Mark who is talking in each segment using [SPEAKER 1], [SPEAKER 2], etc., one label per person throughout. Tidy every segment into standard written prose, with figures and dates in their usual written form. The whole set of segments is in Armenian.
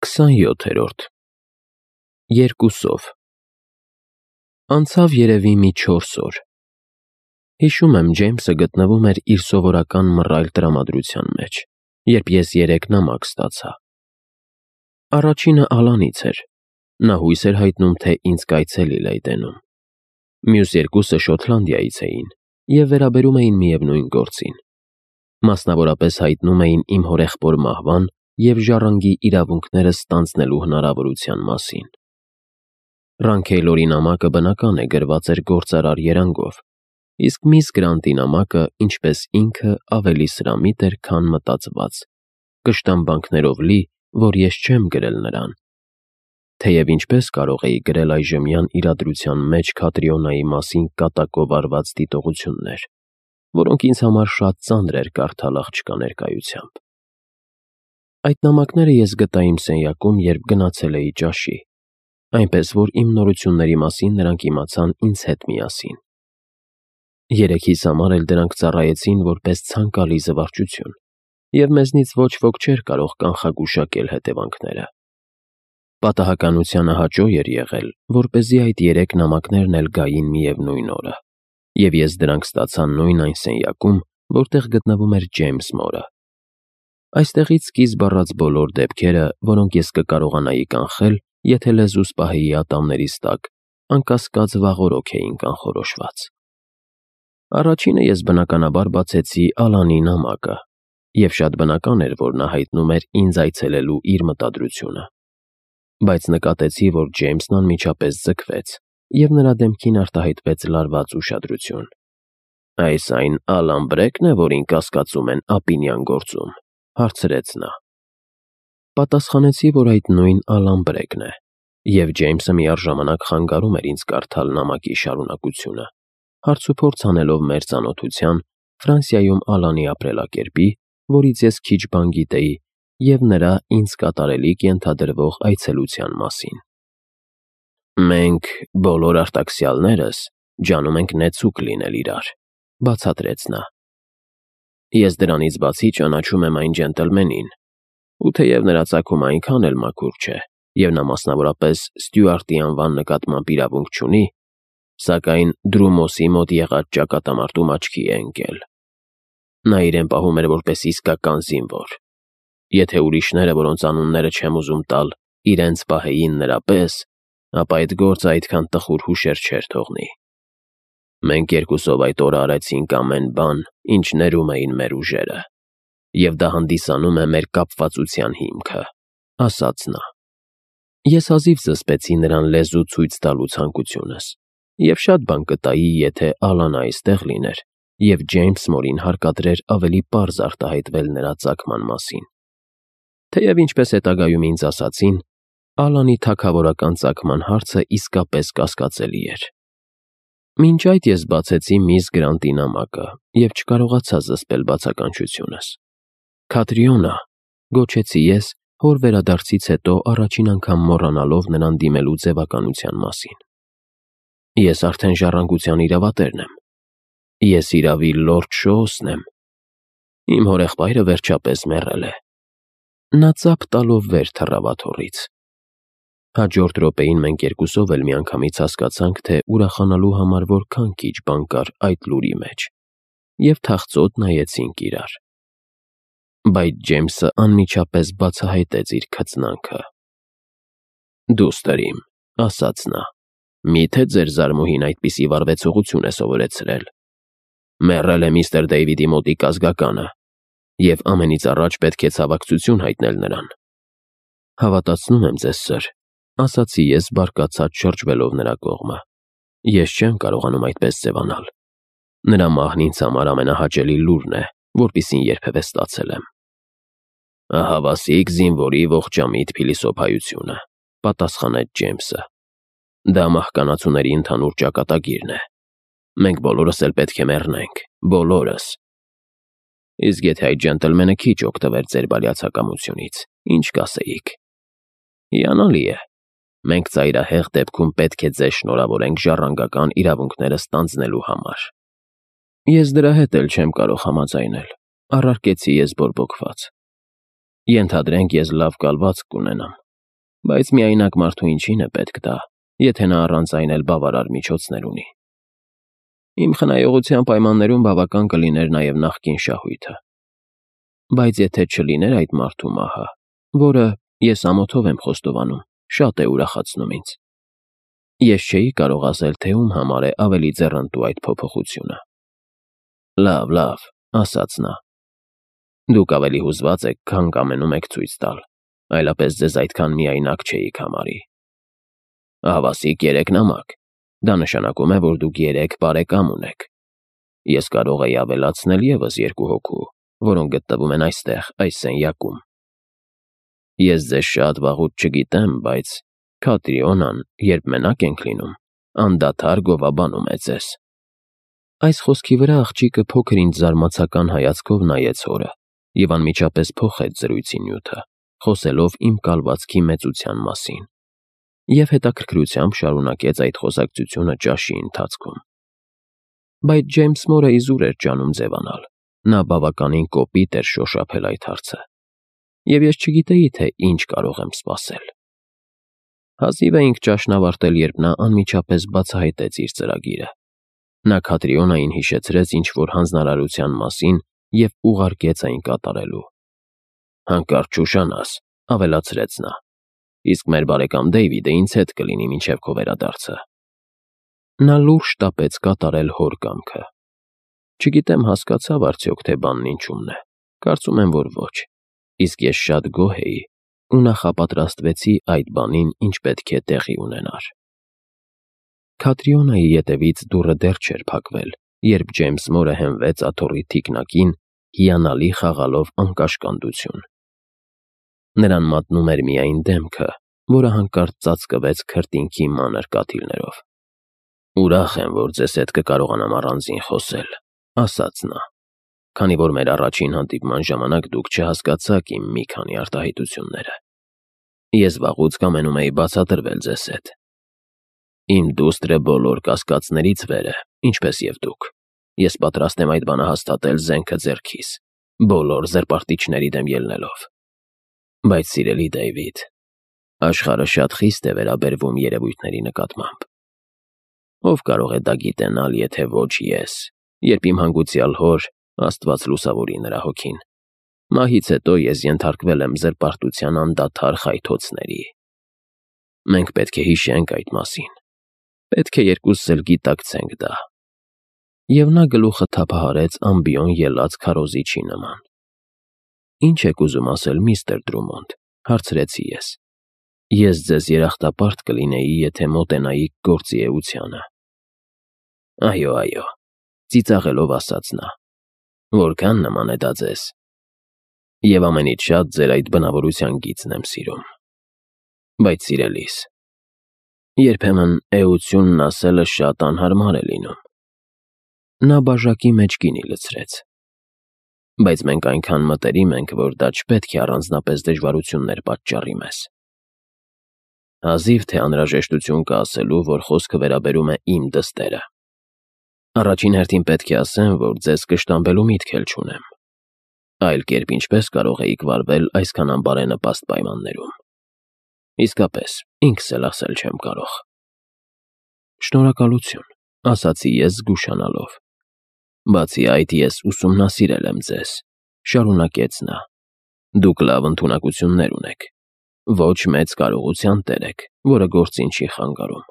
[SPEAKER 1] 27-րդ Երկուսով Անցավ երևի մի 4 օր։ Հիշում եմ, Ջեյմսը գտնվում էր իր սովորական մռայլ տրամադրության մեջ, երբ ես 3 նամակ ստացա։ Առաջինը Ալանից էր, նա հույս էր հայտնում, թե ինձ կայցելի Լեյդենում։ Մյուս երկուսը Շոտլանդիայից էին և վերաբերում էին միևնույն գործին։ Մասնավորապես հայտնում էին իմ հորեղբոր մահվան և ժառանգի իրավունքները ստանձնելու հնարավորության մասին։ Ռանքեյլորի նամակը բնական է գրված էր գործարար երանգով, իսկ միս Գրանտի նամակը, ինչպես ինքը, ավելի սրամիտ էր, քան մտածված, կշտամբանքներով լի, որ ես չեմ գրել նրան։ Թեև ինչպես կարող էի գրել այժմյան իրադրության մեջ Քատրիոնայի մասին կատակով արված դիտողություններ, որոնք ինձ համար շատ ծանր էր կարդալ աղջկա ներկայությամբ։ Այդ նամակները ես գտա իմ սենյակում, երբ գնացել էի ճաշի, այնպես որ իմ նորությունների մասին նրանք իմացան ինձ հետ միասին։ Երեքիս համար էլ դրանք ծառայեցին որպես ցանկալի զվարճություն, և մեզնից ոչ ոք չէր կարող կանխագուշակել հետևանքները։ Պատահականությանը հաճո էր եղել, որպեսզի այդ 3 նամակներն էլ գային միևնույն օրը, և ես դրանք ստացա նույն այն սենյակում, որտեղ գտնվում էր Ջեյմս մորը։ Այստեղից սկիզբ առած բոլոր դեպքերը, որոնք ես կկարողանայի կանխել, եթե լեզուս պահեի ատամներիս տակ, անկասկած վաղօրոք էին կանխորոշված։ Առաջինը ես բնականաբար բացեցի Ալանի նամակը, և շատ բնական էր, որ նա հայտնում էր ինձ այցելելու իր մտադրությունը։ Բայց նկատեցի, որ Ջեյմսն անմիջապես ձգվեց, և նրա դեմքին արտահայտվեց լարված ուշադրություն։ «Այս այն Ալան Բրեքն է, որին կասկածում են Ապինյան գործում», հարցրեց նա։ Պատասխանեցի, որ այդ նույն Ալան Բրեքն է, և Ջեյմսը միառժամանակ խանգարում էր ինձ կարդալ նամակի շարունակությունը, հարցուփորձ անելով մեր ծանոթության, Ֆրանսիայում Ալանի ապրելակերպի, որից ես քիչ բան գիտեի, և նրա ինձ կատարելիք ենթադրվող այցելության մասին։ «Մենք բոլոր արտաքսյալներս ջանում ենք նեցուկ լինել իրար», բացատրեց նա։ «Ես դրանից բացի ճանաչում եմ այն ջենտլմենին, ու թեև նրա ծագումը այնքան էլ մաքուր չէ, և նա մասնավորապես Ստյուարտի անվան նկատմամբ իրավունք չունի, սակայն Դրումոսի մոտ եղած ճակատամարտում աչքի է ընկել։ Նա իրեն պահում էր որպես իսկական զինվոր։ Եթե ուրիշները, որոնց անունները չեմ ուզում տալ, իրենց պահեին նրա պես, ապա այդ գործը այդքան տխուր հուշեր չէր թողնի։ Մենք երկուսով այդ օրը արեցինք ամեն բան, ինչ ներում էին մեր ուժերը, և դա հանդիսանում է մեր կապվածության հիմքը», ասաց նա։ Ես հազիվ զսպեցի նրան լեզու ցույց տալու ցանկությունս, և շատ բան կտայի, եթե Ալանը այստեղ լիներ, և Ջեյմս մորին հարկադրեր ավելի պարզ արտահայտվել նրա ծագման մասին։ Թեև ինչպես հետագայում ինձ ասացին, Ալանի թագավորական ծագման հարցը իսկապես կասկածելի էր։ Մինչ այդ ես բացեցի միս Գրանտի նամակը և չկարողացա զսպել բացականչությունս։ «Քատրիոնա», գոչեցի ես, հոր վերադարձից հետո առաջին անգամ մոռանալով նրան դիմելու ձևականության մասին։ «Ես արդեն ժառանգության իրավատերն եմ։ Ես իրավի Լորդ Շոուսն եմ։ Իմ հորեղբայրը վերջապես մեռել է»։ Նա ծափ տալով վեր թռավ աթոռից։ Հաջորդ րոպեին մենք երկուսով էլ միանգամից հասկացանք, թե ուրախանալու համար որքան քիչ բան կար այդ լուրի մեջ, և թախծոտ նայեցինք իրար։ Բայց Ջեյմսը անմիջապես բացահայտեց իր քծնանքը։ «Դուստր իմ», ասաց նա, «միթե ձեր զարմուհին այդպիսի վարվեցողություն է սովորեցրել։ Մեռել է միստր Դեյվիդի մոտիկ ազգականը, և ամենից առաջ պետք է ցավակցություն հայտնել նրան»։ «Հավատացնում եմ ձեզ, սըր», ասացի ես բարկացած շրջվելով նրա կողմը։ «Ես չեմ կարողանում այդպես ձևանալ։ Նրա մահն ինձ համար ամենահաճելի լուրն է, որպիսին երբևէ ստացել եմ»։ «Ահավասիկ զինվորի ողջամիտ փիլիսոփայությունը», պատասխանեց Ջեյմսը։ «Դա մահկանացուների ընդհանուր ճակատագիրն է։ Մենք բոլորս էլ պետք է մեռնենք, բոլորս։ Իսկ եթե այդ ջենտլմենը քիչ օգտվեր ձեր բարյացակամությունից, ինչ կասեիք։ Հիանալի է։ Մենք ծայրահեղ դեպքում պետք է ձեզ շնորհավորենք ժառանգական իրավունքները ստանձնելու համար»։ «Ես դրա հետ էլ չեմ կարող համաձայնել», առարկեցի ես բորբոքված։ «Ենթադրենք, ես լավ կալվածք կունենամ, Բայց միայնակ մարդու ինչին է պետք դա, եթե նա առանց այն էլ բավարար միջոցներ ունի։ Իմ խնայողության պայմաններում բավական կլիներ նաև նախկին շահույթը։ Բայց եթե չլիներ այդ մարդու մահը, որը, ես ամոթով եմ խոստովանում, շատ է ուրախացնում ինձ, ես չէի կարող ասել, թե ում համար է ավելի ձեռնտու այդ փոփոխությունը։ Լավ, ասաց նա։ Դուք ավելի հուզված եք, քան կամենում եք ցույց տալ, այլապես ձեզ այդքան միայնակ չէիք համարի։ Հավասիկ 3 նամակ։ Դա նշանակում է, որ դուք 3 բարեկամ ունեք։ Ես կարող էի ավելացնել ևս 2 հոգու, որոնք գտնվում են այստեղ, այս սենյակում։ Ես ձեզ շատ վաղուց չգիտեմ, բայց Քատրիոնան, երբ մենակ ենք լինում, անդադար գովաբանում է ձեզ։ Այս խոսքի վրա աղջիկը փոքր ինչ զարմացական հայացքով նայեց հորը և անմիջապես փոխեց զրույցի նյութը, խոսելով իմ կալվածքի մեծության մասին, և հետաքրքրությամբ շարունակեց այդ խոսակցությունը ճաշի ընթացքում։ Բայց Ջեյմս Մորը իզուր էր ջանում ձևանալ, նա բավականին կոպիտ էր շոշափել այդ հարցը, և ես չգիտեի, թե ինչ կարող եմ սպասել։ Հազիվ էինք ճաշն ավարտել, երբ նա անմիջապես բացահայտեց իր ծրագիրը։ Նա Քատրիոնային հիշեցրեց ինչ-որ հանձնարարության մասին և ուղարկեց այն կատարելու։ Հանկարծ չուշանաս, ավելացրեց նա, իսկ մեր բարեկամ Դեյվիդը ինձ հետ կլինի մինչև քո վերադարձը։ Նա լուրջ շտապեց կատարել հոր կամքը։ Չգիտեմ հասկացավ արդյոք, թե բանն ինչումն է, կարծում եմ, որ ոչ, իսկ ես շատ գոհ էի ու նախապատրաստվեցի այդ բանին, ինչ պետք է տեղի ունենար։ Քատրիոնայի ետևից դուռը դեռ չէր փակվել, երբ Ջեյմս Մորը հենվեց աթոռի թիկնակին, հիանալի խաղալով անկաշկանդություն։ Նրան մատնում էր միայն դեմքը, որը հանկարծ ծածկվեց քրտինքի մանր կաթիլներով։ Ուրախ եմ, որ ձեզ հետ կկարողանամ առանձին խոսել, ասաց նա, քանի որ մեր առաջին հանդիպման ժամանակ դուք չհասկացաք իմ մի քանի արտահայտությունները։ Ես վաղուց կամենում էի բացատրվել ձեզ հետ։ Իմ դուստրը բոլոր կասկածներից վեր է, ինչպես և դուք։ Ես պատրաստ եմ այդ բանը հաստատել զենքը ձեռքիս, բոլոր զրպարտիչների դեմ ելնելով։ Բայց սիրելի Դեյվիդ, աշխարհը շատ խիստ է վերաբերվում երևույթների նկատմամբ։ Ով կարող է դա գիտենալ, եթե ոչ ես, երբ իմ հանգուցյալ հոր, Աստված լուսավորի նրա հոգին, մահից հետո ես ենթարկվել եմ զրպարտության անդադար խայթոցների։ Մենք պետք է հիշենք այդ մասին։ Պետք է երկուսս էլ գիտակցենք դա։ Եվ նա գլուխը թափահարեց ամբիոն ելած քարոզիչի նման։ Ինչ եք ուզում ասել, միստր Դրումոնդ, հարցրեցի ես։ Ես ձեզ երախտապարտ կլինեի, եթե մոտենայիք գործի էությանը։ Այո, ծիծաղելով ասաց նա։ Որքան նման է դա ձեզ։ Եվ ամենից շատ ձեր այդ բնավորության գիծն եմ սիրում։ Բայց սիրելիս, երբեմն էությունն ասելը շատ անհարմար է լինում։ Նա բաժակի մեջ գինի լցրեց։ Բայց մենք այնքան մտերիմ ենք, որ դա չպետք է առանձնապես դժվարություններ պատճառի մեզ։ Հազիվ թե անհրաժեշտություն կա ասելու, որ խոսքը վերաբերում է իմ դստերը։ Առաջին հերթին պետք է ասեմ, որ ձեզ կշտամբելու միտք էլ չունեմ։ Այլ կերպ ինչպես կարող էիք վարվել այսքան անբարենպաստ պայմաններում։ Իսկապես, ինքս էլ ասել չեմ կարող։ Շնորհակալություն, ասացի ես զգուշանալով։ Բացի այդ, ես ուսումնասիրել եմ ձեզ, շարունակեց նա։ Դուք լավ ընդունակություններ ունեք։ Ոչ մեծ կարողության տեր եք, որը գործին չի խանգարում։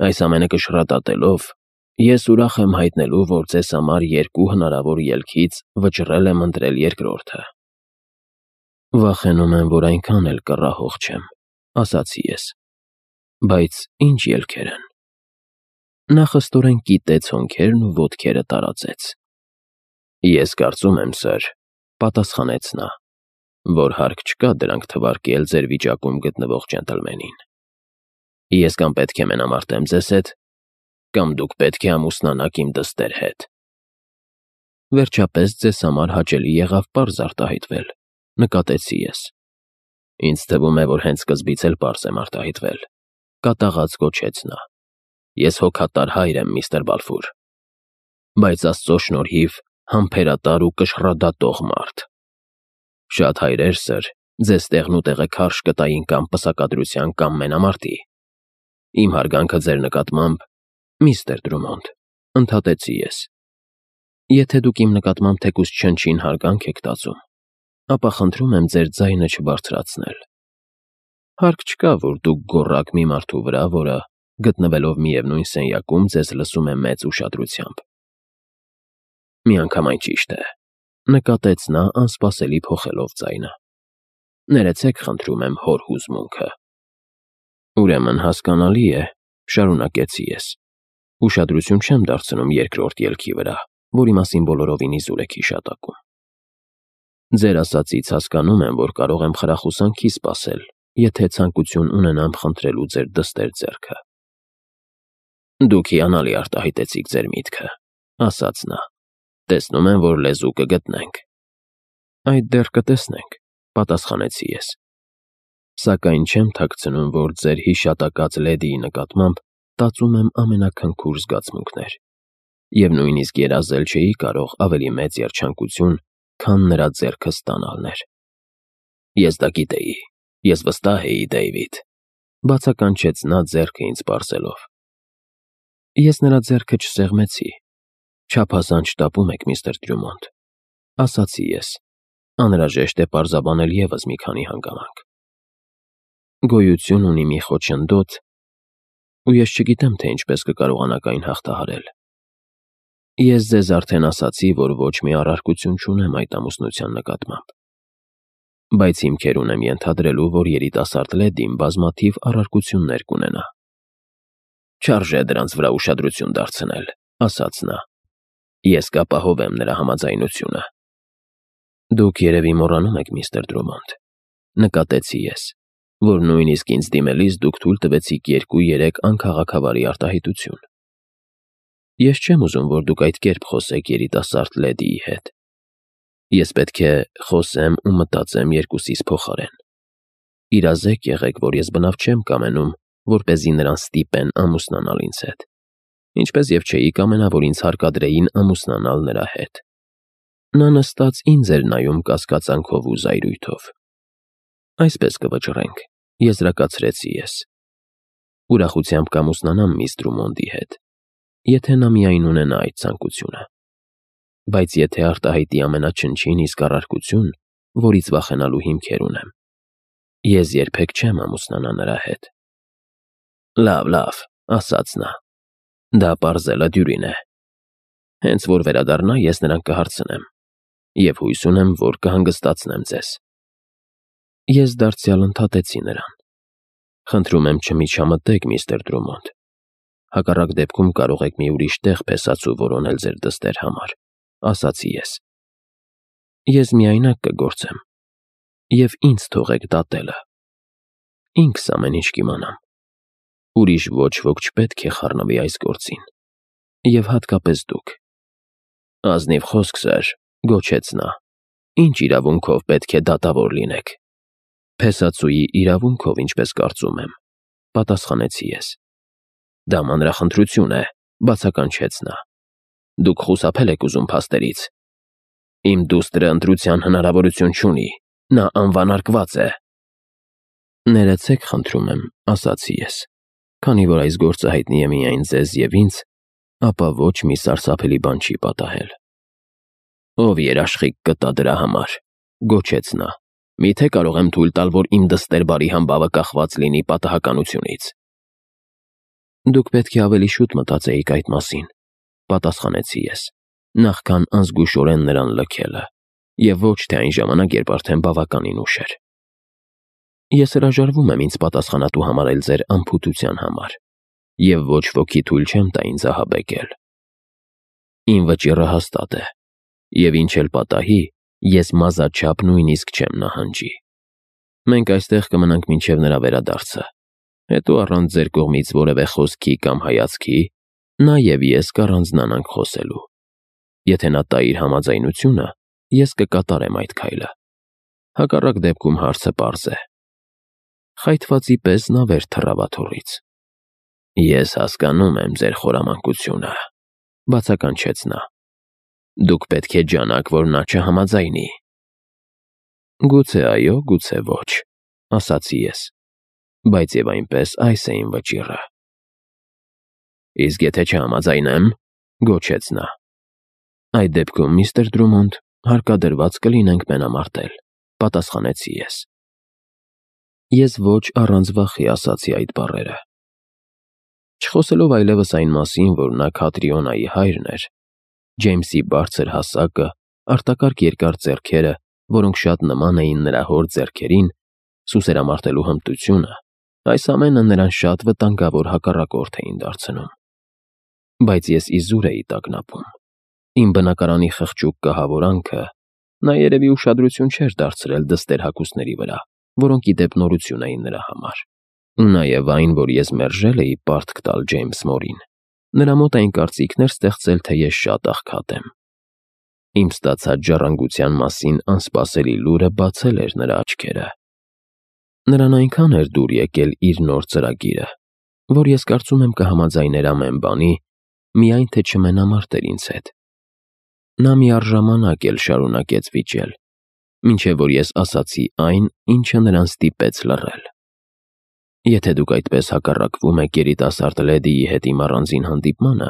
[SPEAKER 1] Այս ամենը կշռատատելով, ես ուրախ եմ հայտնելու, որ ձեզ համար 2 հնարավոր ելքից վճռել եմ ընտրել երկրորդը։ Վախենում եմ, որ այնքան էլ կռահող չեմ, ասացի ես։ Բայց ինչ ելքեր են։ Նա խստորեն կիտեց հոնքերն ու ոտքերը տարածեց։ Ես կարծում եմ, սըր, պատասխանեց նա, որ հարկ չկա դրանք թվարկել ձեր վիճակում գտնվող ջենտլմենին։ Ես կամ պետք է մենամարտեմ ձեզ հետ, կամ դուք պետք է ամուսնանաք իմ դստեր հետ։ Վերջապես ձեզ համար հաճելի եղավ պարզ արտահայտվել, նկատեցի ես։ Ինձ թվում է, որ հենց սկզբից էլ պարզ եմ արտահայտվել, կատաղած գոչեց նա։ Ես հոգատար հայր եմ, միստր Բալֆուր, բայց Աստծո շնորհիվ համբերատար ու կշռադատող մարդ։ Շատ հայրեր, սըր, Ձեզ տեղնուտեղը քարշ կտային կամ պսակադրության կամ մենամարտի։ Իմ հարգանքը ձեր նկատմամբ, միստր Դրումոնդ, ընդհատեցի ես։ Եթե դուք իմ նկատմամբ թեկուզ չնչին հարգանք եք տածում, ապա խնդրում եմ ձեր ձայնը չբարձրացնել։ Հարկ չկա, որ դուք գոռաք մի մարդու վրա, որը, գտնվելով միևնույն սենյակում, ձեզ լսում է մեծ ուշադրությամբ։ Միանգամայն ճիշտ է, նկատեց նա անսպասելի փոխելով ձայնը։ Ներեցեք, խնդրում եմ, հոր հուզմունքը։ Ուրեմն հասկանալի է, շարունակեցի ես։ Ուշադրություն չեմ դարձնում երկրորդ ելքի վրա, որի մասին բոլորովին իզուր եք հիշատակում։ Ձեր ասածից հասկանում եմ, որ կարող եմ խրախուսանքի սպասել, եթե ցանկություն ունենամ խնդրելու ձեր դստեր ձեռքը։ Դուք հիանալի արտահայտեցիք ձեր միտքը, ասաց նա։ Տեսնում եմ, որ լեզու կգտնենք։ Այդ դեռ կտեսնենք, պատասխանեցի ես։ Սակայն չեմ թաքցնում, որ ձեր հիշատակած լեդիի նկատմամբ տածում եմ ամենաքնքուր զգացմունքներ, և նույնիսկ երազել չէի կարող ավելի մեծ երջանկություն, քան նրա ձեռքը ստանալն էր։ Ես դա գիտեի, ես վստահ էի, Դեյվիդ, բացականչեց նա ձեռքը ինձ պարզելով։ Ես նրա ձեռքը չսեղմեցի։ Չափազանց շտապում եք, միստր Դրումոնդ, ասացի ես։ Անհրաժեշտ է պարզաբանել ևս մի քանի հանգամանք։ Գոյություն ունի մի խոչընդոտ, ու ես չգիտեմ, թե ինչպես կկարողանաք այն հաղթահարել։ Ես ձեզ արդեն ասացի, որ ոչ մի առարկություն չունեմ այդ ամուսնության նկատմամբ։ Բայց հիմքեր ունեմ ենթադրելու, որ երիտասարդ լեդին բազմաթիվ առարկություններ կունենա։ Չարժե դրանց վրա ուշադրություն դարձնել, ասաց նա։ Ես կապահովեմ նրա համաձայնությունը։ Դուք երևի մոռանում եք, միստր Դրումոնդ, նկատեցի ես, որ նույնիսկ ինձ դիմելիս դուք թույլ տվեցիք 2-3 անքաղաքավարի արտահայտություն։ Ես չեմ ուզում, որ դուք այդ կերպ խոսեք երիտասարդ լեդիի հետ։ Ես պետք է խոսեմ ու մտածեմ երկուսիս փոխարեն։ Իրազեկ եղեք, որ ես բնավ չեմ կամենում, որպեսզի նրան ստիպեն ամուսնանալ ինձ հետ, ինչպես և չէի կամենա, որ ինձ հարկադրեին ամուսնանալ նրա հետ։ Նա նստած ինձ էր նայում կասկածանքով ու զայրույթով։ Այսպես կվճռենք, եզրակացրեցի ես։ Ուրախությամբ կամուսնանամ միս Դրումոնդի հետ, եթե նա միայն ունենա այդ ցանկությունը։ Բայց եթե արտահայտի ամենաչնչին իսկ առարկություն, որից վախենալու հիմքեր ունեմ, ես երբեք չեմ ամուսնանա նրա հետ։ Լավ, ասաց նա։ Դա պարզելը դյուրին է։ Հենց որ վերադառնա, ես նրան կհարցնեմ, և հույս ունեմ, որ կհանգստացնեմ ձեզ։ Ես դարձյալ ընդհատեցի նրան։ Խնդրում եմ չմիջամտեք, միստր Դրումոնդ։ Հակառակ դեպքում կարող եք մի ուրիշ տեղ փեսացու որոնել ձեր դստեր համար, ասացի ես։ Ես միայնակ կգործեմ, և ինձ թողեք դատելը։ Ինքս ամեն ինչ կիմանամ։ Ուրիշ ոչ ոք չպետք է խառնվի այս գործին, և հատկապես դուք։ Ազնիվ խոսք, սըր, գոչեց նա, ինչ իրավունքով պետք է դատավոր լինեք։ Փեսացուի իրավունքով, ինչպես կարծում եմ, պատասխանեցի ես։ Դա մանրախնդրություն է, բացականչեց նա։ Դուք խուսափել եք ուզում փաստերից։ Իմ դուստրը ընտրության հնարավորություն չունի, նա անվանարկված է։ Ներեցեք, խնդրում եմ, ասացի ես, քանի որ այս գործը հայտնի է միայն ձեզ և ինձ, ապա ոչ մի սարսափելի բան չի պատահել։ Ով երաշխիք կտա դրա համար, գոչեց նա։ Միթե կարող եմ թույլ տալ, որ իմ դստեր բարի համբավը կախված լինի պատահականությունից։ Դուք պետք է ավելի շուտ մտածեիք այդ մասին, պատասխանեցի ես, նախքան անզգուշորեն նրան լքելը, և ոչ թե այն ժամանակ, երբ արդեն բավականին ուշ էր։ Ես հրաժարվում եմ ինձ պատասխանատու համարել ձեր անփութության համար, և ոչ ոքի թույլ չեմ տա ինձ ահաբեկել։ Իմ վճիռը հաստատ է, և ինչ էլ պատահի, ես մազաչափ նույնիսկ չեմ նահանջի։ Մենք այստեղ կմնանք մինչև նրա վերադարձը, հետո առանց ձեր կողմից որևէ խոսքի կամ հայացքի, նա և ես կառանձնանանք խոսելու։ Եթե նա տա իր համաձայնությունը, ես կկատարեմ այդ քայլը։ Հակառակ դեպքում հարցը պարզ է։ Խայթվածի պես նա վեր թռավ աթոռից։ Ես հասկանում եմ ձեր խորամանկությունը, բացականչեց նա։ Դուք պետք է ջանաք, որ նա չհամաձայնի։ Գուցե այո, գուցե ոչ, ասացի ես, բայց եւ այնպես այս է իմ վճիռը։ Իսկ եթե չհամաձայնեմ, գոչեց նա։ Այդ դեպքում, միստր Դրումոնդ, հարկադրված կլինենք մենամարտել, պատասխանեցի ես։ Ես ոչ առանց վախի ասացի այդ բառերը։ Չխոսելով այլևս այն մասին, որ նա Քատրիոնայի հայրն էր, Ջեյմսի բարձր հասակը, արտակարգ երկար ձեռքերը, որոնք շատ նման էին նրա հոր ձեռքերին, սուսերամարտելու հմտությունը, այս ամենը նրան շատ վտանգավոր հակառակորդ էին դարձնում։ Բայց ես իզուր էի տագնապում։ Իմ բնակարանի խղճուկ կահավորանքը նա երևի ուշադրություն չէր դարձրել դստեր հագուստների վրա, որոնք ի դեպ նորություն էին նրա համար։ Ու նաև այն, որ ես մերժել էի պարտք տալ Ջեյմս Մորին, նրա մոտ այն կարծիքն էր ստեղծել, թե ես շատ աղքատ եմ։ Իմ ստացած ժառանգության մասին անսպասելի լուրը բացել էր նրա աչքերը։ Նրան այնքան էր դուր եկել իր նոր ծրագիրը, որ ես կարծում եմ կհամաձայներ ամեն բանի, միայն թե չմենամարտեր ինձ հետ։ Նա միառժամանակ էլ շարունակեց վիճել, մինչև որ ես ասացի այն, ինչը նրան ստիպեց լռել։ Եթե դուք այդպես հակառակվում եք երիտասարդ լեդիի հետ իմ առանձին հանդիպմանը,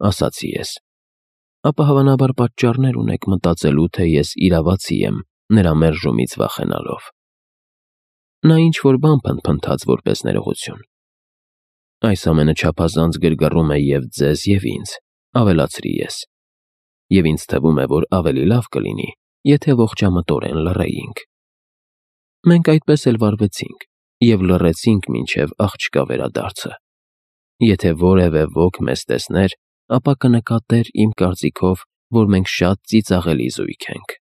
[SPEAKER 1] ասացի ես, ապա հավանաբար պատճառներ ունեք մտածելու, թե ես իրավացի եմ նրա մերժումից վախենալով։ Նա ինչ-որ բան փնթփնթաց որպես ներողություն։ Այս ամենը չափազանց գրգռում է և ձեզ, և ինձ, ավելացրի ես։ Եվ ինձ թվում է, որ ավելի լավ կլինի, եթե ողջամտորեն լռեինք։ Մենք այդպես էլ վարվեցինք և լռեցինք մինչև աղջկա վերադարձը։ Եթե որևէ ոք մեզ տեսներ, ապա կնկատեր իմ կարծիքով, որ մենք շատ ծիծաղելի զույգ ենք։